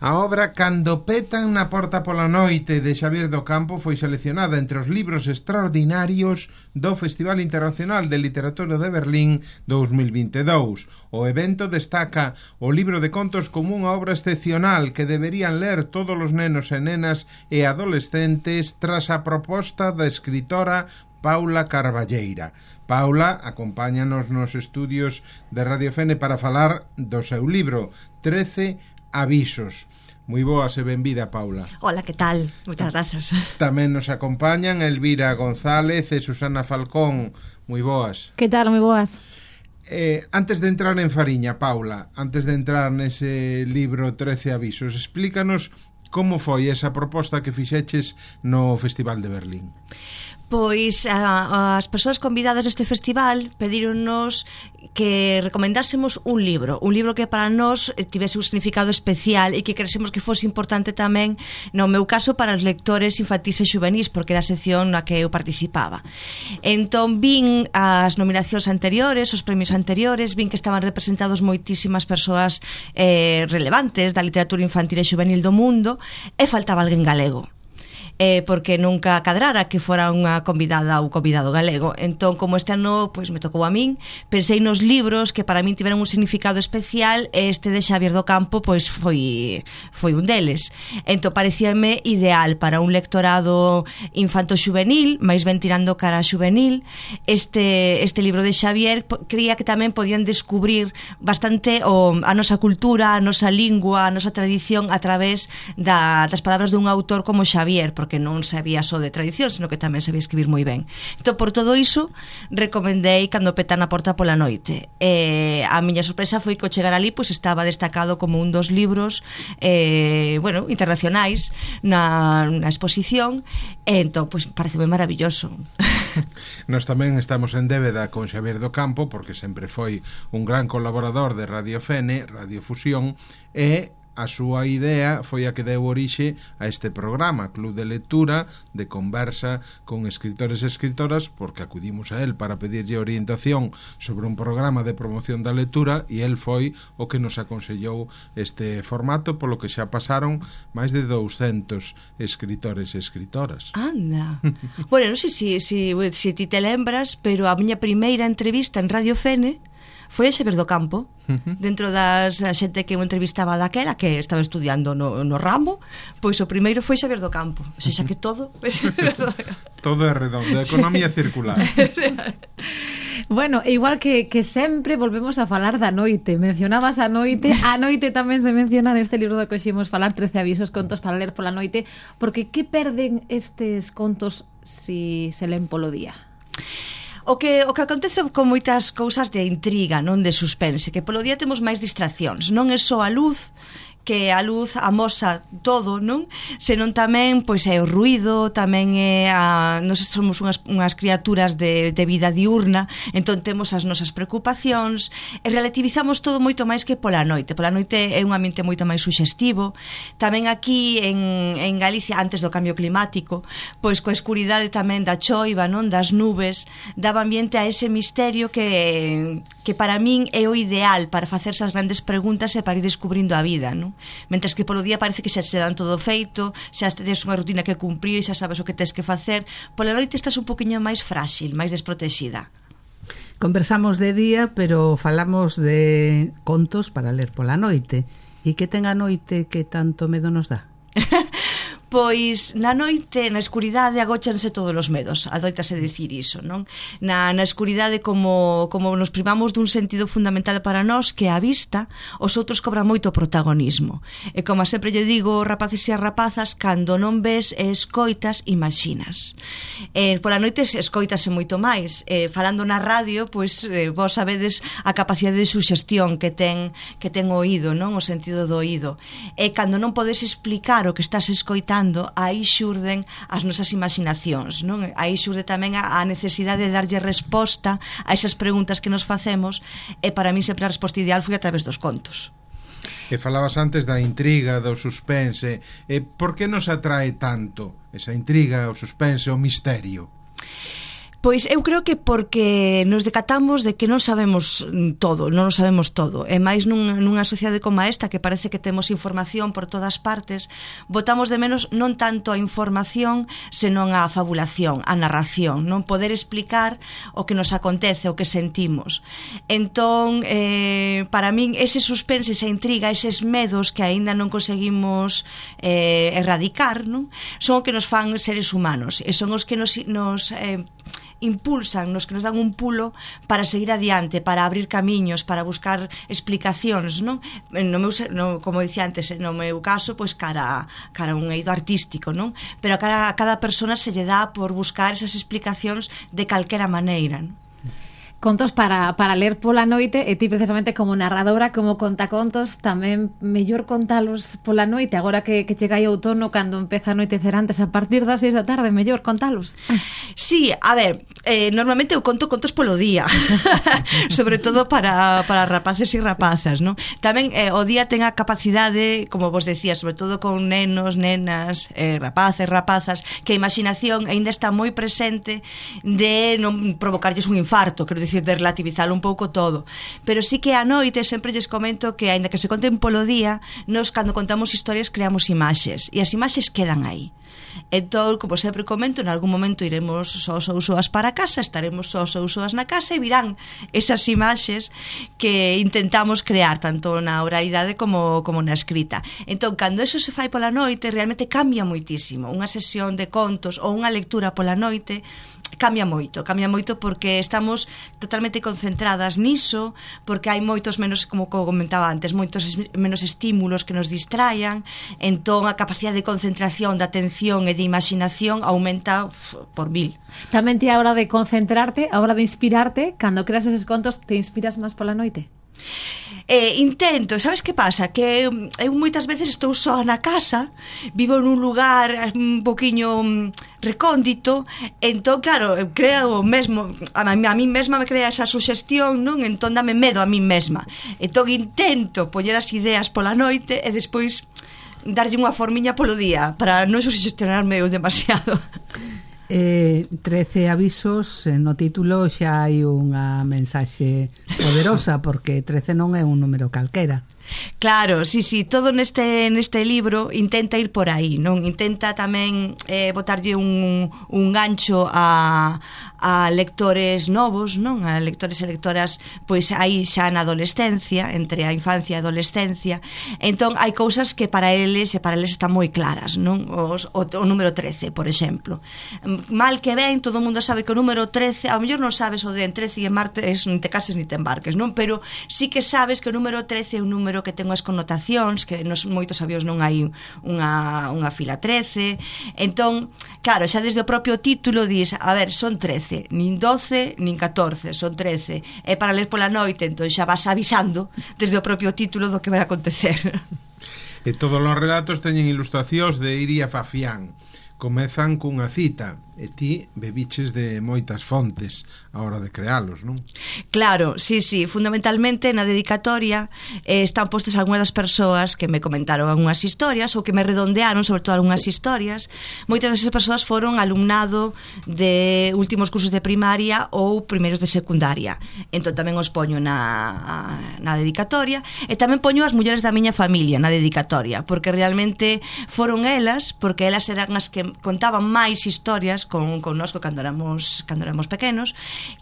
A obra Cando petan na porta pola noite de Xavier do Campo foi seleccionada entre os libros extraordinarios do Festival Internacional de Literatura de Berlín 2022. O evento destaca o libro de contos como unha obra excepcional que deberían ler todos os nenos e nenas e adolescentes tras a proposta da escritora Paula Carballeira. Paula acompáñanos nos estudios de Radio Fene para falar do seu libro 13 avisos. Moi boas e benvida, Paula. Hola, que tal? Moitas grazas. Tamén nos acompañan Elvira González e Susana Falcón. Moi boas. Que tal? Moi boas. Antes de entrar en fariña, Paula, antes de entrar nese libro 13 avisos, explícanos como foi esa proposta que fixeches no Festival de Berlín. Pois as persoas convidadas deste festival pedíronnos que recomendásemos un libro que para nós tivese un significado especial e que cresemos que fose importante tamén, no meu caso, para os lectores infantís e xuvenís, porque era a sección na que eu participaba. Entón vin as nominacións anteriores, os premios anteriores, vin que estaban representados moitísimas persoas relevantes da literatura infantil e xuvenil do mundo, e faltaba alguén galego. Porque nunca cadrara que fora unha convidada ou convidado galego. Entón, como este ano pois me tocou a min, pensei nos libros que para min tiveron un significado especial, e este de Xavier do Campo pois foi un deles. Entón, parecíame ideal para un lectorado infanto-xuvenil, máis ben tirando cara a xuvenil. Este libro de Xavier creía que tamén podían descubrir bastante a nosa cultura, a nosa lingua, a nosa tradición a través das palabras dun autor como Xavier, porque non sabía só de tradición, sino que tamén sabía escribir moi ben. Entón, por todo iso, recomendei Cando petan na porta pola noite. A miña sorpresa foi que ao chegar ali pois estaba destacado como un dos libros internacionais na exposición, e entón, pois, pareceu maravilloso. Nós tamén estamos en débeda con Xavier do Campo, porque sempre foi un gran colaborador de Radio Fene, Radio Fusión, e a súa idea foi a que deu orixe a este programa, Club de Lectura, de conversa con escritores e escritoras, porque acudimos a él para pedirlle orientación sobre un programa de promoción da lectura, e él foi o que nos aconsellou este formato, polo que xa pasaron máis de 200 escritores e escritoras. Anda. Bueno, non sei se ti te lembras, pero a miña primeira entrevista en Radio Fene foi a Xavier do Campo, dentro das xente que eu entrevistaba daquela, que estaba estudiando no ramo, pois o primeiro foi Xavier do Campo. O sea, que todo todo é redondo, a economía circular. Bueno, igual que sempre volvemos a falar da noite. Mencionabas a noite tamén se menciona neste libro do que ximos falar, 13 avisos, contos para ler pola noite, porque que perden estes contos si se len polo día? O que acontece con moitas cousas de intriga, non de suspense, que polo día temos máis distraccións, non é só a luz, que a luz amosa todo, non? Senón tamén pois é o ruído, tamén é nós somos unhas criaturas de vida diurna, entón temos as nosas preocupacións e relativizamos todo moito máis que pola noite. Pola noite é un ambiente moito máis suxestivo. Tamén aquí en Galicia, antes do cambio climático, pois coa escuridade tamén da choiva, non? Das nubes, daba ambiente a ese misterio que para min é o ideal para facerse as grandes preguntas e para ir descubrindo a vida, non? Mentres que polo día parece que xa te dan todo feito, xa tens unha rutina que cumprir, xa sabes o que tens que facer. Pola noite estás un poquinho máis frágil, máis desprotexida. Conversamos de día, pero falamos de contos para ler pola noite. E que ten a noite que tanto medo nos dá? Pois na noite, na escuridade, agóchanse todos os medos. Adoitase dicir iso, non? Na escuridade, como nos privamos dun sentido fundamental para nós, que a vista, os outros cobran moito protagonismo. E como sempre lle digo, rapaces e rapazas, cando non ves e escoitas, imaxinas. Pola noite escoitase moito máis. Falando na radio, pois vos sabedes a capacidade de suxestión que ten o oído, non? O sentido do oído. E cando non podes explicar o que estás escoitando, aí xurden as nosas imaginacións, non? Aí xurde tamén a necesidade de darlle resposta a esas preguntas que nos facemos, e para mí sempre a resposta ideal foi a través dos contos. E falabas antes da intriga, do suspense. Por que nos atrae tanto esa intriga, o suspense, o misterio? Pois eu creo que porque nos decatamos de que non sabemos todo, non sabemos todo. E máis nunha sociedade como esta, que parece que temos información por todas partes, botamos de menos non tanto a información, senón a fabulación, a narración, non poder explicar o que nos acontece, o que sentimos. Entón, para min, ese suspense, esa intriga, eses medos que aínda non conseguimos erradicar, non? Son o que nos fan seres humanos, e son os que nos impulsan, nos que nos dan un pulo para seguir adiante, para abrir camiños, para buscar explicacións, non? Como dicía antes, no meu caso, pois cara a un eido artístico, non? Pero a cada persona se lle dá por buscar esas explicacións de calquera maneira, non? Contos para ler pola noite, e ti precisamente como narradora, como contacontos, tamén mellor contalos pola noite, agora que chega aí outono, cando empeza a anoitecer antes, a partir das 6 da tarde, mellor contalos. Sí, a ver, normalmente eu conto contos polo día, sobre todo para rapaces e rapazas, non? Tamén o día ten a capacidade, como vos decía, sobre todo con nenos, nenas, rapaces, rapazas, que a imaginación aínda está moi presente de non provocarlles un infarto, quero dicir, de relativizalo un pouco todo. Pero sí que a noite sempre lles comento que, aínda que se conten polo día, nos cando contamos historias creamos imaxes, e as imaxes quedan aí. Entón, como sempre comento, en algún momento iremos sós ou soas para casa, estaremos sós ou soas na casa e virán esas imaxes que intentamos crear tanto na oralidade como na escrita. Entón, cando eso se fai pola noite, realmente cambia moitísimo. Unha sesión de contos ou unha lectura pola noite cambia moito porque estamos totalmente concentradas niso, porque hai moitos menos, como comentaba antes, moitos menos estímulos que nos distraian, entón a capacidade de concentración, de atención e de imaginación aumenta por 1000. Tamén ti a hora de concentrarte, a hora de inspirarte, cando creas eses contos, te inspiras máis pola noite? Intento, sabes que pasa? Que eu moitas veces estou só na casa, vivo nun lugar un poquiño recóndito, entón, claro, creo mesmo, a mí mesma me crea esa suxestión, non? Entón dame medo a mí mesma. Entón intento poñer as ideas pola noite e despois darlle unha formiña polo día para non suxestionarme eu demasiado. 13 avisos, no título xa hai unha mensaxe poderosa, porque 13 non é un número calquera. Claro, sí, todo neste libro intenta ir por aí, non? Intenta tamén botarlle un gancho a lectores novos, non? A lectores e lectoras, pois aí xa na adolescencia, entre a infancia e a adolescencia. Entón, hai cousas que para eles están moi claras, non? O número 13, por exemplo. Mal que ben, todo o mundo sabe que o número 13, ao mellor non sabes o de en 13 e en martes, non te cases ni te embarques, non? Pero sí que sabes que o número 13 é un número que ten unhas connotacións, que nos moitos avións non hai unha fila 13. Entón, claro, xa desde o propio título dis, a ver, son 13, nin 12, nin 14, son 13. É para ler pola noite, entón xa vas avisando desde o propio título do que vai acontecer. E todos os relatos teñen ilustracións de Iria Fafián. Comezan cunha cita, e ti bebiches de moitas fontes a hora de crealos, non? Claro, sí, fundamentalmente na dedicatoria están postas algunhas das persoas que me comentaron algunhas historias ou que me redondearon sobre todo algunhas historias. Moitas desas persoas foron alumnado de últimos cursos de primaria ou primeiros de secundaria. Entón tamén os poño na dedicatoria, e tamén poño as mulleres da miña familia na dedicatoria, porque realmente foron elas, porque elas eran as que contaban máis historias con nosco cando éramos pequenos,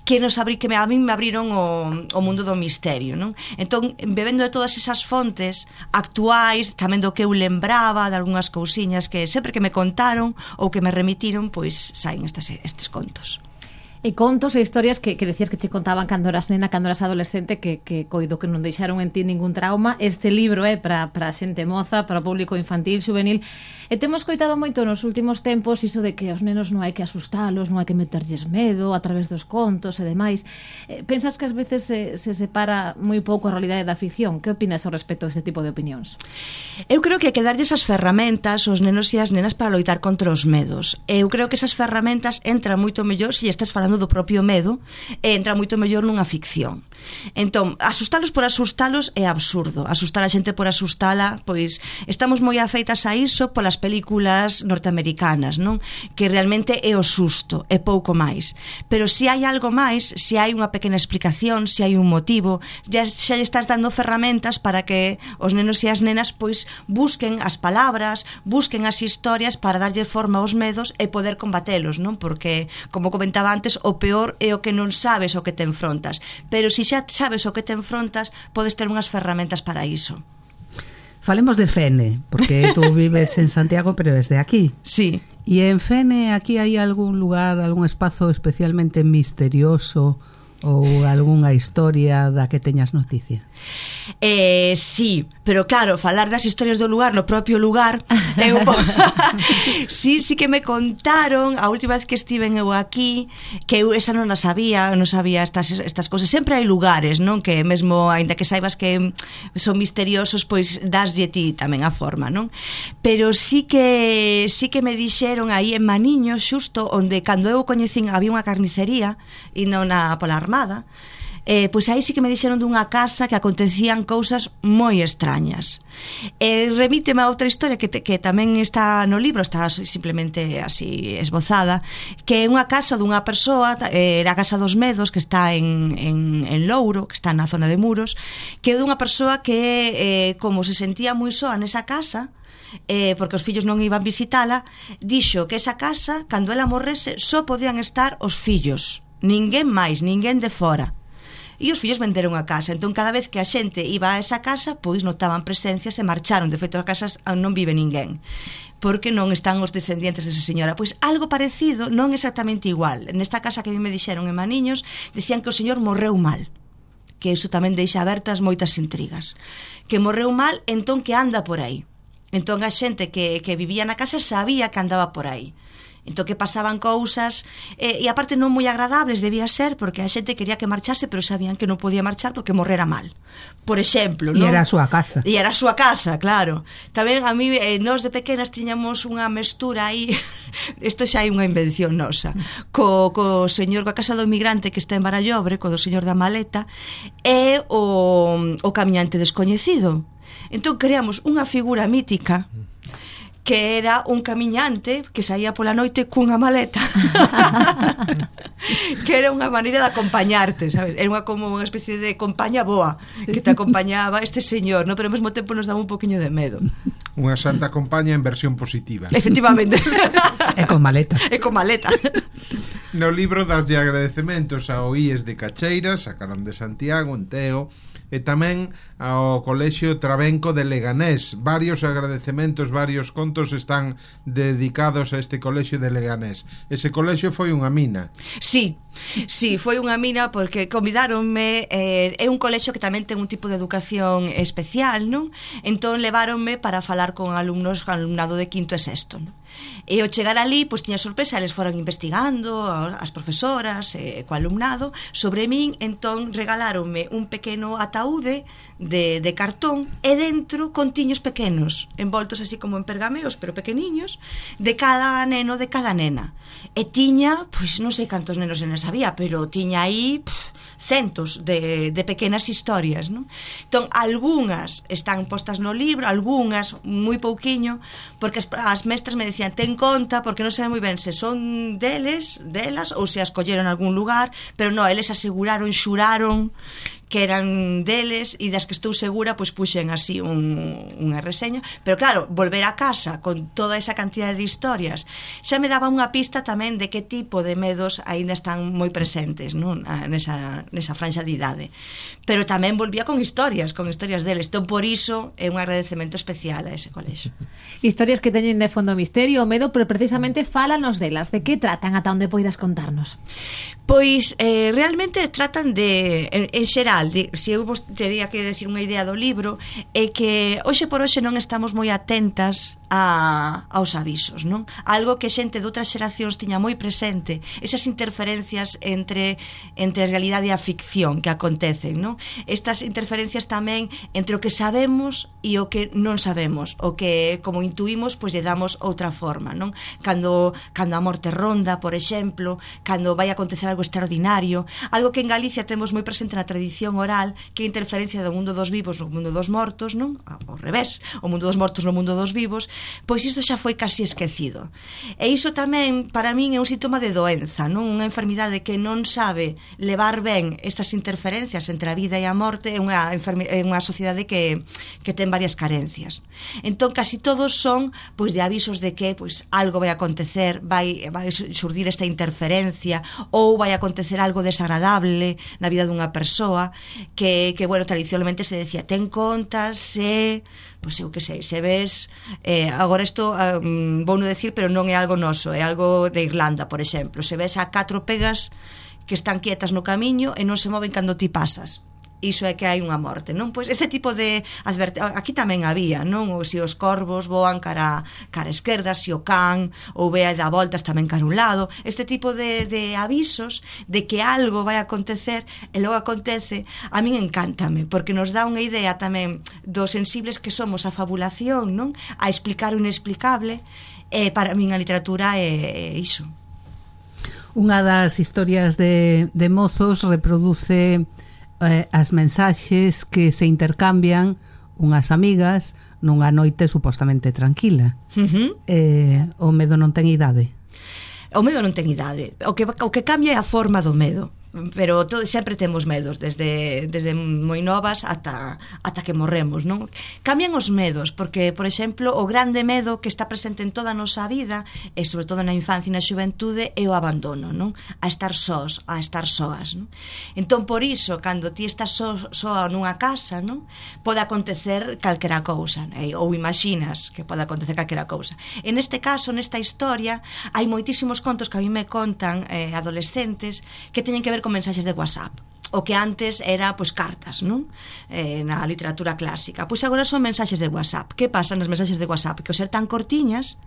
que a mí me abriron o mundo do misterio, non? Entón, bebendo de todas esas fontes actuais, tamén do que eu lembraba, de algunhas cousiñas que sempre que me contaron ou que me remitiron, pois saen estes contos. E contos e historias que decías que te contaban cando eras nena, cando eras adolescente, que coido que non deixaron en ti ningún trauma. Este libro é para a xente moza, para o público infantil, juvenil. E temos coitado moito nos últimos tempos iso de que os nenos non hai que asustalos, non hai que meterlles medo a través dos contos e demais. Pensas que ás veces se separa moi pouco a realidade da ficción? Que opinas ao respecto deste tipo de opinións? Eu creo que hai que darlles as ferramentas aos nenos e as nenas para loitar contra os medos. Eu creo que esas ferramentas entran moito mellor se estás falando do propio medo, e entra moito mellor nunha ficción. Entón, asustalos por asustalos é absurdo. Asustar a xente por asustala, pois estamos moi afeitas a iso polas películas norteamericanas, non? Que realmente é o susto, é pouco máis. Pero se hai algo máis, se hai unha pequena explicación, se hai un motivo, xa lle estás dando ferramentas para que os nenos e as nenas pois busquen as palabras, busquen as historias para darlle forma aos medos e poder combatelos, non? Porque, como comentaba antes, o peor é o que non sabes o que te enfrontas. Pero se xa sabes o que te enfrontas, podes ter unhas ferramentas para iso. Falemos de Fene, porque tú vives en Santiago, pero es de aquí. Sí. E en Fene, aquí hai algún lugar, algún espazo especialmente misterioso ou algunha historia da que teñas noticia? Sí, pero claro, falar das historias do lugar no propio lugar é un pouco... sí que me contaron a última vez que estiven eu aquí, que eu esa non a sabía, non sabía estas cousas. Sempre hai lugares, non? Que mesmo, aínda que saibas que son misteriosos, pois daslle ti tamén a forma, non? Pero sí que me dixeron aí en Maniño, xusto onde cando eu coñecín había unha carnicería e non pola Armada, pois aí sí que me dixeron dunha casa que acontecían cousas moi extrañas. Remíteme a outra historia que tamén está no libro, está simplemente así esbozada, que é unha casa dunha persoa, era a Casa dos Medos, que está en Louro, que está na zona de Muros, que é dunha persoa que como se sentía moi soa nesa casa, porque os fillos non iban visitala, dixo que esa casa, cando ela morrese, só podían estar os fillos, ninguén máis, ninguén de fora. E os fillos venderon a casa. Entón, cada vez que a xente iba a esa casa, pois notaban presencias e marcharon. De feito, a casa non vive ninguén, porque non están os descendientes desa señora. Pois algo parecido, non exactamente igual. Nesta casa que me dixeron en Maniños, decían que o señor morreu mal, que iso tamén deixa abertas moitas intrigas. Que morreu mal, entón que anda por aí. Entón a xente que vivía na casa sabía que andaba por aí. Entón que pasaban cousas e aparte non moi agradables debía ser, porque a xente quería que marchase, pero sabían que non podía marchar porque morrera mal, por exemplo, non? E era a súa casa. E era a súa casa, claro. Tamén a mí, nós de pequenas tiñamos unha mestura aí, isto xa hai unha invención nosa, co señor, coa casa do migrante que está en Barallobre, co do señor da maleta, e o camiñante descoñecido. Entón creamos unha figura mítica que era un camiñante que saía pola noite cunha maleta que era unha maneira de acompañarte, sabes? Era como unha especie de compaña boa que te acompañaba este señor, ¿no? Pero ao mesmo tempo nos daba un poquinho de medo. Unha santa compaña en versión positiva. Efectivamente. E con maleta. E con maleta. No libro das de agradecementos ao IES de Cacheiras, a Carón de Santiago, en Teo, e tamén ao Colexio Trabenco de Leganés. Varios agradecementos, varios contos están dedicados a este colexio de Leganés. Ese colexio foi unha mina. Sí, foi unha mina porque convidáronme, é un colexio que tamén ten un tipo de educación especial, non? Entón leváronme para falar con alumnado de quinto e sexto, non? E ao chegar ali, pois tiña sorpresa, eles foron investigando as profesoras co alumnado sobre min, entón regaláronme un pequeno ataúde de cartón e dentro contiños pequenos, envoltos así como en pergameos, pero pequeniños, de cada neno, de cada nena. E tiña, pois non sei cantos nenos e nenas había, pero tiña aí centos de pequenas historias, non? Entón, algunhas están postas no libro, algunhas moi pouquiño, porque as mestras me decían, ten conta, porque non sei moi ben se son delas, ou se as colleron en algún lugar, pero non, eles aseguraron, xuraron que eran deles, e das que estou segura pois puxen así unha reseña, pero claro, volver a casa con toda esa cantidad de historias xa me daba unha pista tamén de que tipo de medos aínda están moi presentes, non? Nesa franxa de idade, pero tamén volvía con historias deles, entón por iso é un agradecemento especial a ese colexio. Historias que teñen de fondo misterio o medo, pero precisamente fálanos delas, de que tratan, ata onde poidas contarnos? Pois realmente tratan de, en xeral, se eu vos teria que decir unha idea do libro, é que hoxe por hoxe non estamos moi atentas aos avisos, non? Algo que xente de outras xeracións tiña moi presente, esas interferencias entre a realidade e a ficción que acontecen, non? Estas interferencias tamén entre o que sabemos e o que non sabemos, o que como intuímos, pois lle damos outra forma, non? Cando a morte ronda, por exemplo, cando vai acontecer algo extraordinario, algo que en Galicia temos moi presente na tradición oral, que é a interferencia do mundo dos vivos no mundo dos mortos, non? Ao revés, o mundo dos mortos no mundo dos vivos, pois isto xa foi casi esquecido. E iso tamén, para min, é un síntoma de doenza, non? Unha enfermidade que non sabe levar ben estas interferencias entre a vida e a morte, é unha sociedade que ten varias carencias. Entón, casi todos son pois de avisos de que pois algo vai acontecer, vai surdir esta interferencia, ou vai acontecer algo desagradable na vida dunha persoa, que bueno, tradicionalmente se decía, ten conta se... pois eu que sei, se ves agora isto vou non decir, pero non é algo noso, é algo de Irlanda, por exemplo, se ves a 4 pegas que están quietas no camiño e non se moven cando ti pasas, iso é que hai unha morte, non? Pois este tipo de aquí tamén había, non? Ou se os corvos voan cara esquerda, se o can ou ve a dar voltas tamén cara un lado, este tipo de avisos de que algo vai acontecer e logo acontece, a min encántame, porque nos dá unha idea tamén dos sensibles que somos á fabulación, non? A explicar o inexplicable, e para min a literatura é iso. Unha das historias de mozos reproduce as mensaxes que se intercambian unhas amigas nunha noite supostamente tranquila. O medo non ten idade. O medo non ten idade. O que cambia é a forma do medo. Pero sempre temos medos desde moi novas ata que morremos, non? Cambian os medos, porque, por exemplo, o grande medo que está presente en toda a nosa vida, e sobre todo na infancia e na xuventude, é o abandono, non? A estar sós, a estar soas, non? Entón, por iso, cando ti estás soa nunha casa, non? Pode acontecer calquera cousa, ou imaginas que pode acontecer calquera cousa. En este caso, nesta historia, hai moitísimos contos que a mí me contan adolescentes que teñen que ver con mensaxes de WhatsApp, o que antes era pois cartas, non? Na literatura clásica. Pois agora son mensaxes de WhatsApp. Que pasa nas mensaxes de WhatsApp? Que ao ser tan cortiñas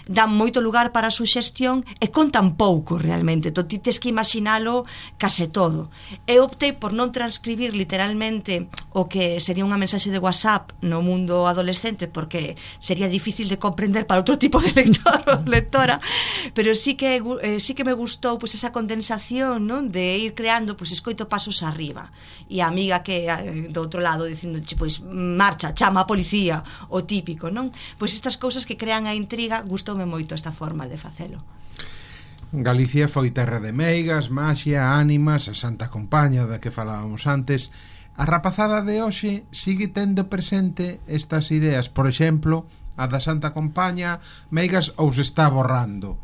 dan moito lugar para a suxestión e contan pouco realmente. Ti tes que imaginalo case todo. E optei por non transcribir literalmente o que sería unha mensaxe de WhatsApp no mundo adolescente, porque sería difícil de comprender para outro tipo de lector ou lectora, pero sí que me gustou pois esa condensación, non? De ir creando, pois escoito pasos arriba, e a amiga que do outro lado dicindo, pois marcha, chama a policía, o típico, non? Pois estas cousas que crean a intriga, gustoume moito esta forma de facelo. Galicia foi terra de meigas, maxia, ánimas, a Santa Compaña da que falábamos antes. A rapazada de hoxe sigue tendo presente estas ideas, por exemplo, a da Santa Compaña, meigas, ou se está borrando?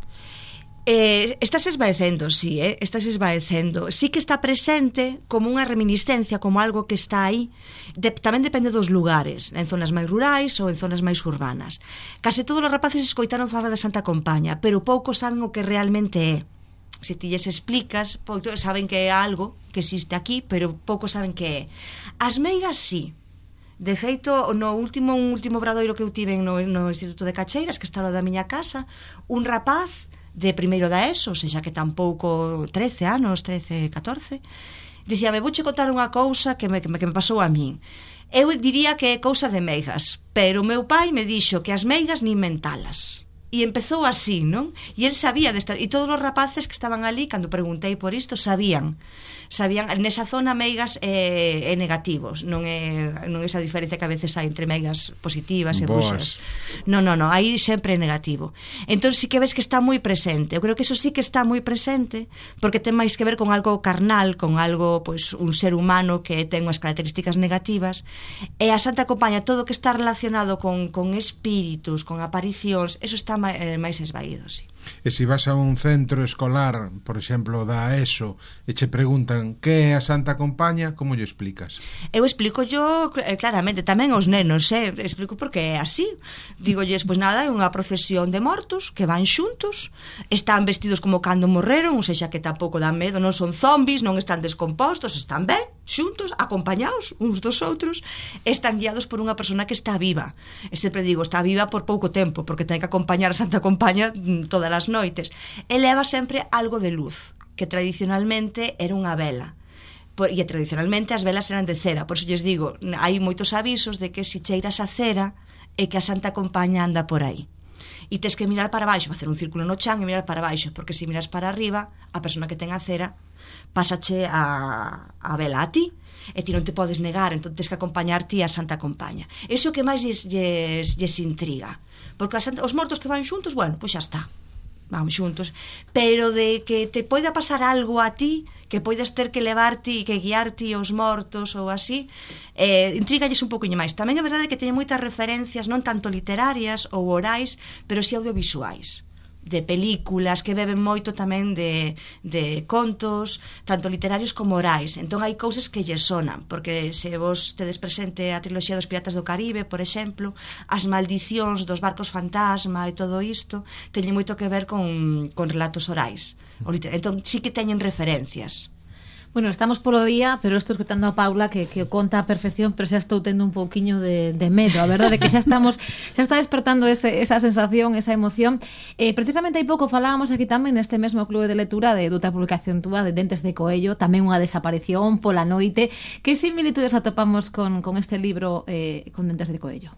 Estás esvaecendo, sí, estás esvaecendo. Sí que está presente como unha reminiscencia, como algo que está aí. Tamén depende dos lugares, en zonas máis rurais ou en zonas máis urbanas. Case todos os rapaces escoitaron falar da Santa Compaña, pero poucos saben o que realmente é. Se ti lles explicas, saben que é algo que existe aquí, pero poucos saben que é. As meigas, sí. De feito, un último obradoiro que eu tive no Instituto de Cacheiras, que está ao da miña casa, un rapaz de primeiro da ESO, ou seja que tampouco 13 anos, 13, 14, dicía, me vouche contar unha cousa que me pasou a min. Eu diría que é cousa de meigas, pero o meu pai me dixo que as meigas nin mentalas. E empezou así, non? E el sabía desta, e todos os rapaces que estaban ali, cando preguntei por isto, sabían nesa zona meigas é negativos, non é esa diferencia que a veces hai entre meigas positivas e buxas. Non, aí sempre é negativo. Entón sí que ves que está moi presente. Eu creo que eso sí que está moi presente, porque ten máis que ver con algo carnal, con algo, pois, un ser humano que ten unhas características negativas, e a Santa Compaña, todo o que está relacionado con espíritus, con aparicións, eso está máis esvaído, sí. E se vas a un centro escolar, por exemplo, da ESO, e che preguntan que é a Santa Compaña, como lle explicas? Eu explico yo claramente, tamén aos nenos, explico porque é así. Dígolles, pois nada, é unha procesión de mortos que van xuntos, están vestidos como cando morreron, ou seja, que tampouco dan medo, non son zombies, non están descompostos, están ben, xuntos, acompañados uns dos outros, están guiados por unha persona que está viva. E sempre digo, está viva por pouco tempo, porque ten que acompañar a Santa Compaña todas as noites. E leva sempre algo de luz, que tradicionalmente era unha vela. E tradicionalmente as velas eran de cera. Por iso lles digo, hai moitos avisos de que se cheiras a cera é que a Santa Compaña anda por aí. E tes que mirar para baixo, facer un círculo no chan e mirar para baixo, porque se miras para arriba, a persona que ten a cera pásache a vela a ti, e ti non te podes negar, entón tens que acompañar ti a Santa Compaña. Iso que máis lles intriga, porque os mortos que van xuntos, bueno, pois xa está, vamos xuntos, pero de que te poida pasar algo a ti, que poidas ter que levarte e que guiarte os mortos ou así, intrigalles un poquinho máis. Tamén é verdade que teñen moitas referencias, non tanto literarias ou orais, pero si audiovisuais, de películas que beben moito tamén de contos, tanto literarios como orais. Entón hai cousas que lle sonan, porque se vos tedes presente a triloxía dos Piratas do Caribe, por exemplo, as maldicións dos barcos fantasma e todo isto teñen moito que ver con relatos orais. Entón sí que teñen referencias. Bueno, estamos polo día, pero estou escutando a Paula que o conta a perfección, pero xa estou tendo un pouquiño de medo, a verdade que xa está despertando esa sensación, esa emoción. Precisamente hai pouco falábamos aquí tamén neste mesmo clube de lectura de outra publicación túa, de Dentes de Coello, tamén unha desaparición pola noite. Que similitudes atopamos con este libro, con Dentes de Coello?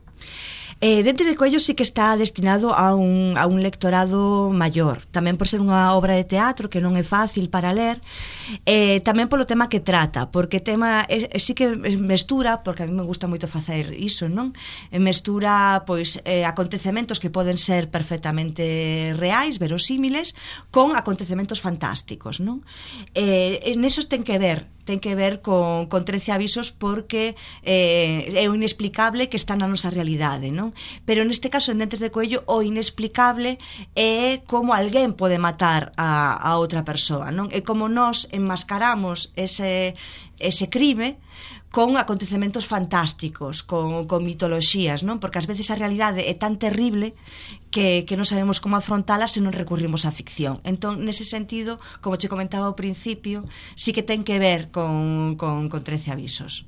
Dentes de Coello sí que está destinado a un lectorado maior, tamén por ser unha obra de teatro que non é fácil para ler, tamén polo tema que trata, porque tema sí que mestura, porque a mí me gusta moito facer iso, non? Mestura pois acontecementos que poden ser perfectamente reais, verosímiles, con acontecementos fantásticos, non? Nesos ten que ver con 13 avisos, porque é o inexplicable que está na nosa realidade, non? Pero neste caso, en Dentes de Coello, o inexplicable é como alguén pode matar a outra persoa, non? É como nós enmascaramos ese crime con acontecementos fantásticos, con mitoloxías, non? Porque ás veces a realidade é tan terrible que non sabemos como afrontala se non recurrimos á ficción. Entón, nese sentido, como che comentaba ao principio, sí que ten que ver con 13 avisos.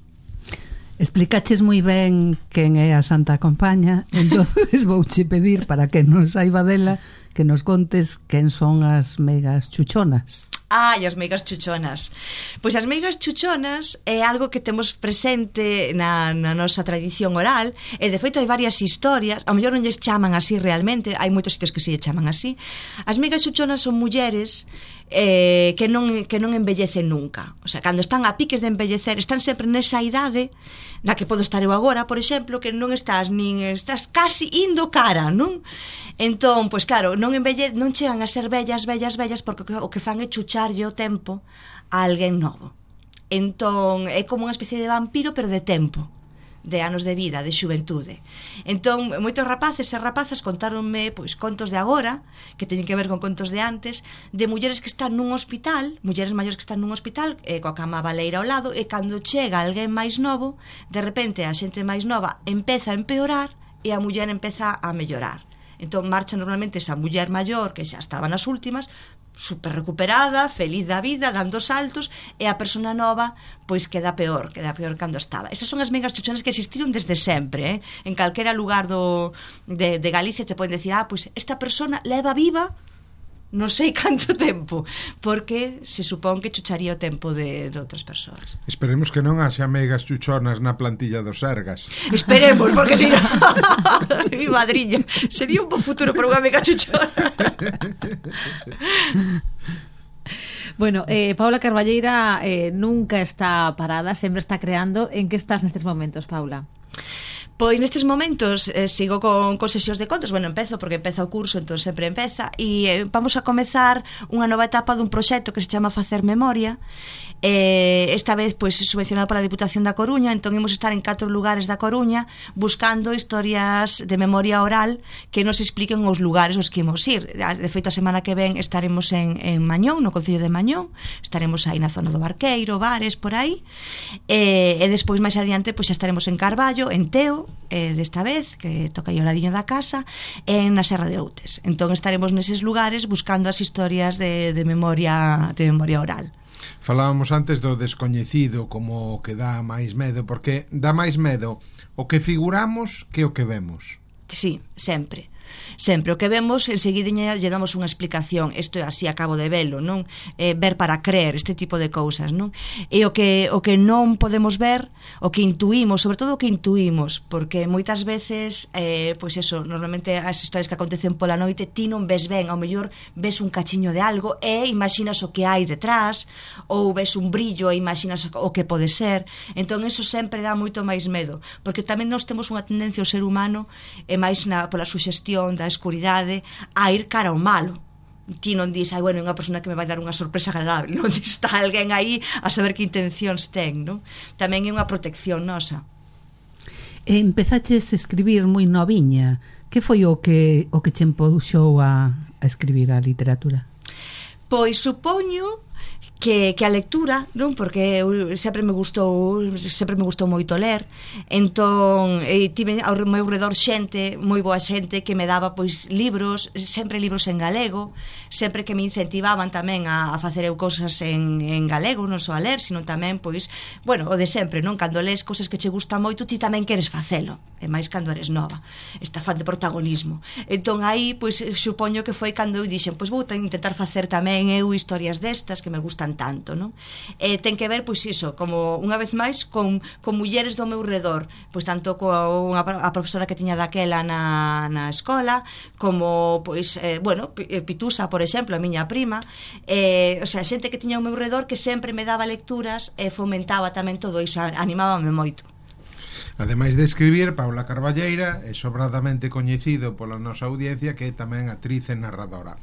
Explicaches moi ben quen é a Santa Compaña, entonces vouche pedir, para que non saiba dela, que nos contes quen son as meigas chuchonas. As meigas chuchonas. Pois as meigas chuchonas é algo que temos presente na nosa tradición oral, e de feito hai varias historias, ao mellor non lles chaman así realmente, hai moitos sitios que se lle chaman así. As meigas chuchonas son mulleres que non envellecen nunca. O sea, cando están a piques de envellecer, están sempre nesa idade na que podo estar eu agora, por exemplo, que non estás casi indo cara, non? Entón, pois claro, non chegan a ser vellas, porque o que fan é chucharlle o tempo a alguén novo. Entón, é como unha especie de vampiro, pero de tempo, de anos de vida, de xuventude. Entón, moitos rapaces e rapazas contáronme pois contos de agora, que teñen que ver con contos de antes, de mulleres que están nun hospital, mulleres maiores que están nun hospital, coa cama baleira ao lado, e cando chega alguén máis novo, de repente a xente máis nova empeza a empeorar e a muller empeza a mellorar. Entón marcha normalmente esa muller maior que xa estaba nas últimas, super recuperada, feliz da vida, dando saltos, e a persona nova pois queda peor cando estaba. Esas son as meigas chuchonas que existiron desde sempre, en calquera lugar de Galicia te poden decir, pois esta persona leva viva non sei canto tempo, porque se supón que chucharía o tempo de outras persoas. Esperemos que non haxa meigas chuchonas na plantilla dos Sergas. Esperemos, porque si non mi madriña, sería un bo futuro para unha meiga chuchona. Bueno, Paula Carballeira nunca está parada, sempre está creando. En que estás nestes momentos, Paula? Pois nestes momentos sigo con sesións de contos. Bueno, empezo porque empeza o curso, entón sempre empeza. E vamos a comezar unha nova etapa dun proxecto que se chama Facer Memoria. Esta vez pois subvencionado pola Diputación da Coruña. Entón imos estar en 4 lugares da Coruña buscando historias de memoria oral que nos expliquen os lugares aos que imos ir. De feito, a semana que ven estaremos en Mañón, no Concello de Mañón. Estaremos aí na zona do Barqueiro, Bares, por aí. E despois máis adiante pois xa estaremos en Carballo, en Teo, desta vez, que toca aí ao ladiño da casa, en na Serra de Outes. Entón estaremos neses lugares buscando as historias de memoria oral. Falábamos antes do descoñecido como o que dá máis medo, porque dá máis medo o que figuramos que o que vemos. Sí, sempre. Sempre o que vemos enseguida lle damos unha explicación. Isto é así, acabo de velo, non? Ver para creer, este tipo de cousas, non? E o que non podemos ver, o que intuímos, sobre todo o que intuímos, porque moitas veces pois eso, normalmente as historias que acontecen pola noite ti non ves ben, ao mellor ves un cachiño de algo e imaginas o que hai detrás, ou ves un brillo e imaginas o que pode ser. Entón eso sempre dá moito máis medo, porque tamén nós temos unha tendencia ao ser humano, e máis pola suxestión da escuridade, a ir cara ao malo. Ti non dis, ai, bueno, é unha persona que me vai dar unha sorpresa agradable, non? Está alguén aí a saber que intencións ten, non? Tamén é unha protección nosa. Empezaches a escribir moi noviña. Que foi o que che empuxou a escribir a literatura? Pois supoño que a lectura, non? Porque sempre me gustou moito ler. Entón, tive ao meu redor xente, moi boa xente que me daba pois libros, sempre libros en galego, sempre que me incentivaban tamén a facer eu cousas en galego, non só a ler, sino tamén pois, bueno, o de sempre, non? Cando lees cousas que che gustan moito, ti tamén queres facelo, e máis cando eres nova, esta fan de protagonismo. Entón aí, pois, supoño que foi cando eu dixen, pois vou intentar facer tamén eu historias destas que me gustan tanto, non? Ten que ver, pois iso, como unha vez máis con mulleres do meu redor, pois tanto a profesora que tiña daquela na escola, como pois, bueno, Pitusa, por exemplo, a miña prima, o sea, xente que tiña ao meu redor que sempre me daba lecturas e fomentaba tamén todo iso, animábame moito. Ademais de escribir, Paula Carballeira é sobradamente coñecido pola nosa audiencia, que é tamén actriz e narradora.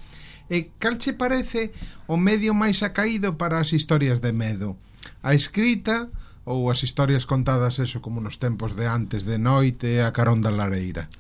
E cal che parece o medio máis acaído para as historias de medo? A escrita ou as historias contadas eso como nos tempos de antes, de noite, a carón da lareira?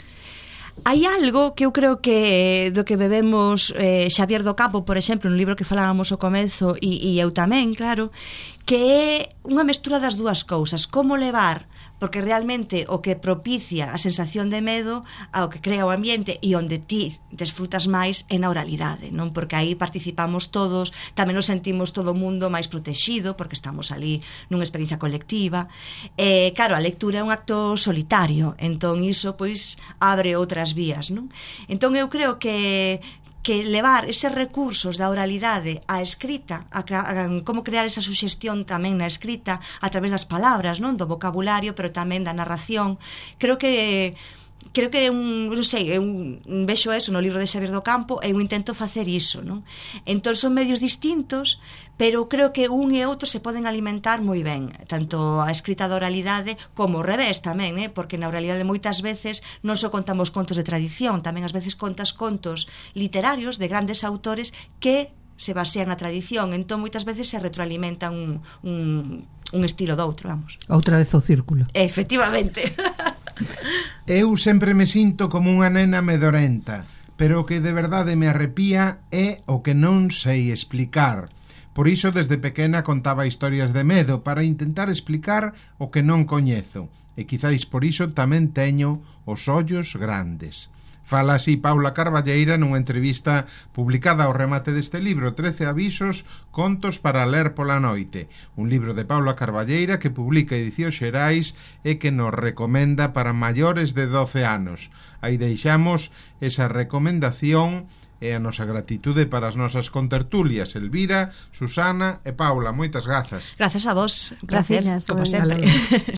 Hai algo que eu creo que do que bebemos Xavier do Campo, por exemplo, no libro que falábamos ao comezo, e eu tamén, claro, que é unha mestura das dúas cousas. Como levar, porque realmente o que propicia a sensación de medo, ao que crea o ambiente e onde ti desfrutas máis é na oralidade, non? Porque aí participamos todos, tamén nos sentimos todo o mundo máis protexido, porque estamos ali nunha experiencia colectiva. Claro, a lectura é un acto solitario, entón iso pois abre outras vías, non? Entón eu creo que levar eses recursos da oralidade á escrita, a como crear esa suxestión tamén na escrita a través das palabras, non? Do vocabulario, pero tamén da narración, creo que non sei, eu vexo eso no libro de Xavier do Campo e eu intento facer iso, non? Entón son medios distintos, pero creo que un e outro se poden alimentar moi ben, tanto a escrita da oralidade como o revés tamén, porque na oralidade moitas veces non só contamos contos de tradición, tamén ás veces contas contos literarios de grandes autores que se basean na tradición, entón moitas veces se retroalimentan un estilo do outro, vamos. Outra vez o círculo. Efectivamente. Eu sempre me sinto como unha nena medorenta, pero o que de verdade me arrepía é o que non sei explicar. Por iso, desde pequena contaba historias de medo para intentar explicar o que non coñezo, e quizáis por iso tamén teño os ollos grandes. Fala así Paula Carballeira nunha entrevista publicada ao remate deste libro, 13 avisos, contos para ler pola noite, un libro de Paula Carballeira que publica Edicións Xerais e que nos recomenda para maiores de 12 anos. Aí deixamos esa recomendación e a nosa gratitude para as nosas contertulias, Elvira, Susana e Paula. Moitas grazas. Grazas a vos, un placer, Gracias, como sempre.